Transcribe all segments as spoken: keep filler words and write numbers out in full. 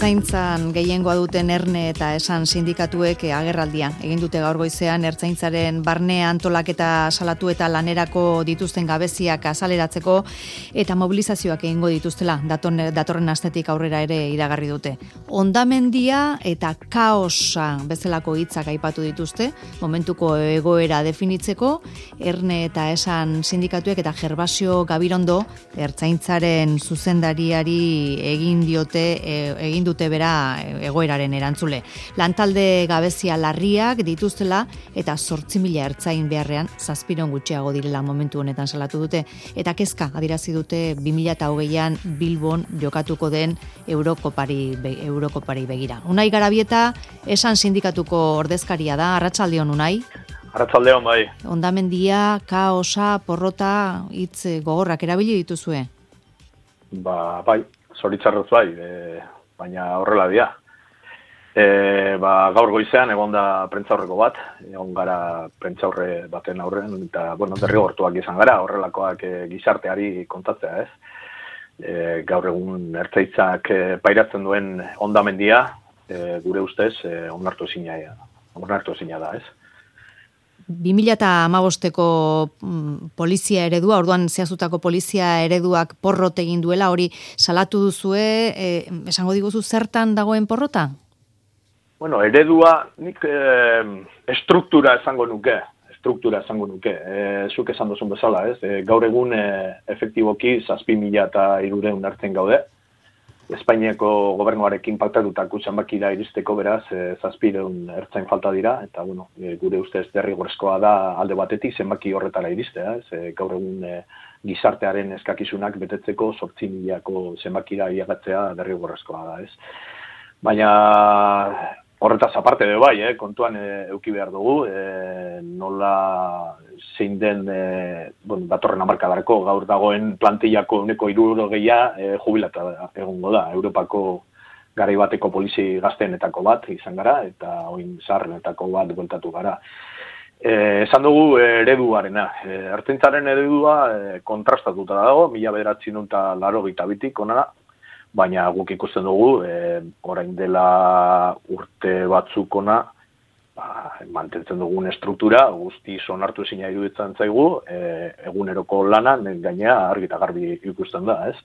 Ertzaintzan gehiengoa duten Erne eta Esan sindikatuek agerraldia egin dute gaur goizean Ertzaintzaren barne antolaketa salatu eta lanerako dituzten gabeziak azaleratzeko eta mobilizazioak egingo dituztela datorren astetik aurrera ere iragarri dute. Hondamendia eta kaosa bezalako hitzak aipatu dituzte, momentuko egoera definitzeko Erne eta Esan sindikatuek eta Gervasio Gabirondo Ertzaintzaren zuzendariari egin diote egin dute bera egoeraren erantzule. Lantalde gabezia larriak dituztela eta zortzi mila ertzain beharrean zazpiron gutxiago direla momentu honetan salatu dute. Eta kezka adierazi dute bi mila hogeian Bilbon jokatuko den Eurokopari, Eurokopari begira. Unai Garabieta Esan sindikatuko ordezkaria da. Arratsaldeon, Unai. Arratsaldeon, bai. Hondamendia, kaosa, porrota, hitz gogorrak erabili dituzue? Ba, bai, zoritzarrez bai, e, baina horrela dira. E, ba, gaur goizean egon da prentzaurreko bat, egon gara prentzaurre baten aurren, eta, bueno, derrigortuak izan gara, horrelakoak e, gizarteari kontatzea, ez? E, gaur egun Ertzaitzak e, pairatzen duen hondamendia, e, gure ustez, e, onartu ezina onartu ezina da, ez? bi mila hamabosteko polizia eredua, orduan zehazutako polizia ereduak porrot egin duela, hori salatu duzue, e, esango diguzu zertan dagoen porrota? Bueno, eredua, nik e, estruktura esango nuke, estruktura esango nuke, e, zuk esan duzun bezala, ez? E, gaur egun e, efektiboki zazpi mila eta hirureun hartzen gaude, Espainiako gobernuarekin paktatutako zenbakira iristeko beraz, e, zazpireun ertzain falta dira, eta bueno, e, gure ustez derrigorrezkoa da alde batetik zenbaki horretara iristea, ez? E, gaur egun e, gizartearen eskakizunak betetzeko zortzi milako zenbakira iagatzea derrigorrezkoa da, ez? Baina horretaz aparte de bai, eh, kontuan e, euki behar dugu, e, nola zein den e, bueno, datorren hamarkadarako gaur dagoen plantillako uneko hirurogeia e, jubilata egongo da. Europako garai bateko polizi gazteenetako bat izan gara, eta oin zaharrenetako bat bueltatu gara. E, esan dugu ereduarena. E, Ertzaintzaren eredua e, kontrastatuta dago, mila bederatziehun eta laurogeita bitik onara, baina guk ikusten dugu, e, orain dela urte batzuk ona, ba, mantentzen dugun estruktura, guzti onartu ezina iruditzen zaigu, e, eguneroko lana, gainea argi eta garbi ikusten da, ez?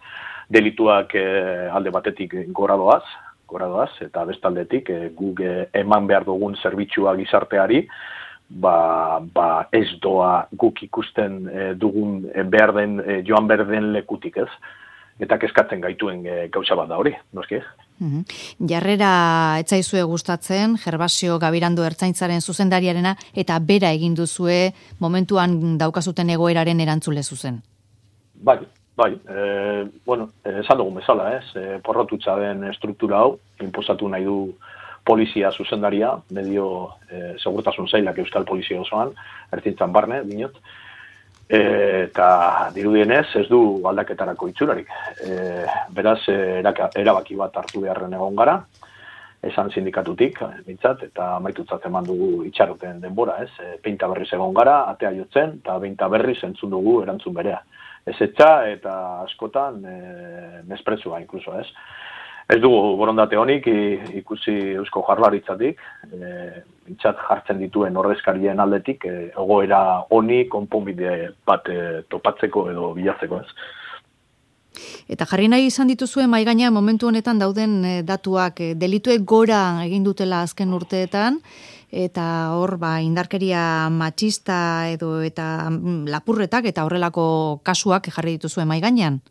Delituak e, alde batetik gora doaz, gora doaz, eta bestaldetik e, guk e, eman behar dugun zerbitzua gizarteari, ba, ba ez doa guk ikusten e, dugun e, behar den, e, joan behar den lekutik, ez? Eta kezkatzen gaituen e, gauza bat da hori, noski? Mm-hmm. Jarrera etzaizue gustatzen, Gervasio Gabirando Ertzaintzaren zuzendariarena, eta bera egin duzue momentuan daukazuten egoeraren erantzule zuzen. Bai, bai, e, bueno, esan dugun bezala, ez? E, porrotutza den struktura hau, inposatu nahi du polizia zuzendaria, medio e, segurtasun zailak Euskal Polizia osoan, Ertzaintzan barne, dinot, E, eta dirudienez ez du aldaketarako itxurarik. E, beraz, e, erabaki bat hartu beharren egon gara, Esan sindikatutik, bintzat, eta amaitutzat eman dugu itxaroten denbora, ez? E, Peinta berriz egon gara, atea jotzen, eta beinta berriz entzun dugu erantzun berea. Ez etxa eta askotan e, mesprezua, inkluso, ez? Ez dugu borondate honik ikusi Eusko Jaurlaritzatik, e, bintzat jartzen dituen ordezkarien aldetik, e, egoera honi konponbide bat e, topatzeko edo bilatzeko, ez. Eta jarri nahi izan dituzue mahai gainean momentu honetan dauden e, datuak, e, delituek gora egin dutela azken urteetan, eta hor ba, indarkeria matxista edo eta mm, lapurretak eta horrelako kasuak jarri dituzue mahai gainean.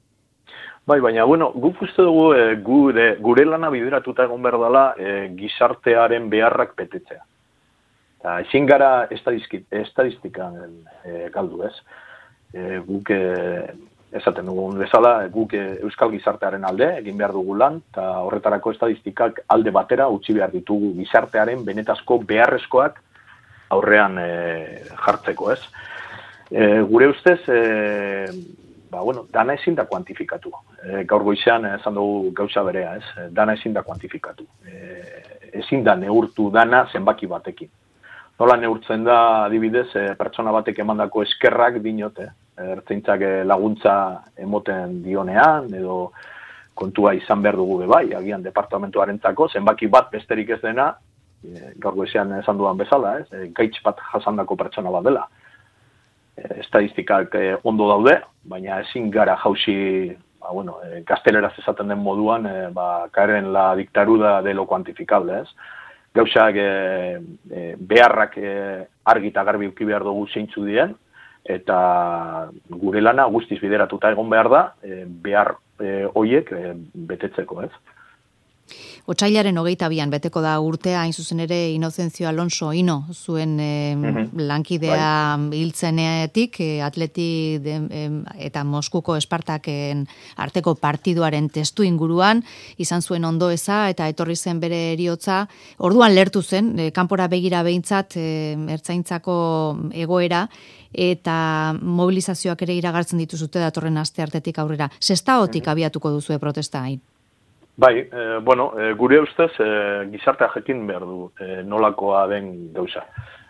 Bai, baina, bueno, guk uste dugu e, gure, gure lana bideratuta egon behar dela e, gizartearen beharrak betetzea. Eta ezin gara estadistikan e, galdu, ez? E, guk e, esaten dugun bezala, guk e, euskal gizartearen alde egin behar dugu lan, eta horretarako estadistikak alde batera utzi behar ditugu gizartearen benetazko beharrezkoak aurrean e, jartzeko, ez? E, gure ustez, e, ba, bueno, dana ezin da kuantifikatu. E, gaur goizean esan dugu gauza berea, ez? Dana ezin da kuantifikatu. E, ezin da neurtu dana zenbaki batekin. Nola neurtzen da, adibidez, e, pertsona batek emandako eskerrak dinote, Ertzaintzak laguntza emoten dionean, edo kontua izan behar dugu bai, agian departamentuarentzako, zenbaki bat besterik ez dena, e, gaur goizean esan dudan bezala, ez, e, gaitz bat jasandako pertsona bat dela. E, estadistikak e, ondo daude, baina ezin gara jausi, ba, bueno, e, gazteleraz esaten den moduan, e, ba, karen la dictadura de lo cuantificable, ez. Gauzak e, e, beharrak e, argi eta garbi uki behar dugu zeintzu dien, eta gure lana guztiz bideratuta egon behar da, e, behar e, hoiek e, betetzeko, ez? Otsailaren hogeita bian beteko da urtea, hain zuzen ere Inocencio Alonso Ino, zuen e, mm-hmm. lankidea hiltzenetik, e, atleti de, e, eta Moskuko Espartaken arteko partiduaren testu inguruan, izan zuen ondoeza eta etorri zen bere eriotza, orduan lertu zen, e, kanpora begira behintzat, e, ertzaintzako egoera, eta mobilizazioak ere iragartzen dituzute datorren asteartetik aurrera. Sestaotik mm-hmm. abiatuko duzue protesta hain? Bai, e, bueno, e, gure ustez e, gizartea jakin behar du e, nolakoa den gauza.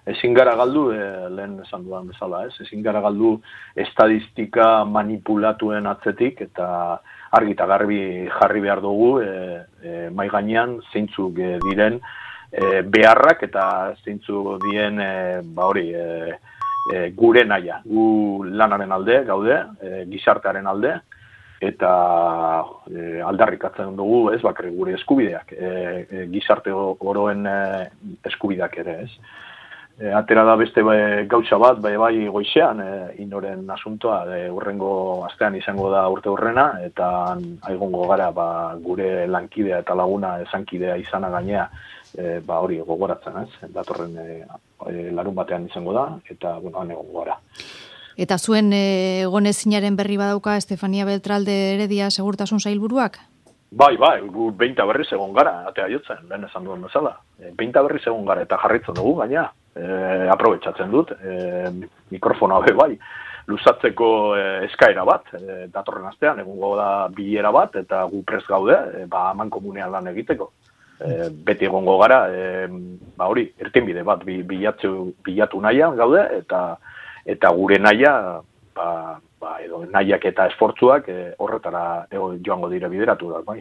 Ezin gara galdu, e, lehen esan dudan bezala, ez? Ezin gara galdu estadistika manipulatuen atzetik eta argi eta garbi jarri behar dugu e, e, mai gainean zeintzuk e, diren e, beharrak eta zeintzuk dien e, ba hori e, e, gure naia. Gu lanaren alde gaude, e, gizartearen alde, eta e, aldarrikatzen dugu, ez, bakre gure eskubideak, e, e, gizarte oroen e, eskubideak ere, ez. E, atera da beste be, gautza bat, bai, bai goizean, e, inoren asuntoa, e, urrengo astean izango da urte urrena, eta aigongo gara ba, gure lankidea eta laguna esankidea izana gainea, e, ba hori gogoratzen, ez, datorren e, e, larun batean izango da, eta, bueno, han egongo gara. Eta zuen egonezinaren berri badauka Estefania Beltralde Heredia segurtasun sailburuak? Bai, bai, gu beinta berriz egon gara, atea jotzen, lehen esan duen bezala. E, beinta berriz egon gara eta jarritzen dugu, gaina, e, aprobetxatzen dut, e, mikrofonoa be bai, luzatzeko e, eskaera bat, e, datorren astean, egongo da bilera bat, eta gu prest gaude, e, ba, aman komunean lan egiteko. E, beti egongo gara, e, ba hori, irtenbide bat bilatu, bilatu nahian gaude, eta eta gure naia, ba, ba, edo nahiak eta esfortzuak e, horretara e, joango dira bideratu da, bai.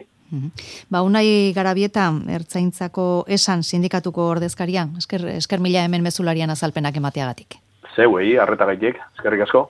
Ba, Unai Garabieta, Ertzaintzako esan sindikatuko ordezkaria, esker, esker mila hemen mezularian azalpenak emateagatik. Zeuei, arretagaitek, eskerrik asko.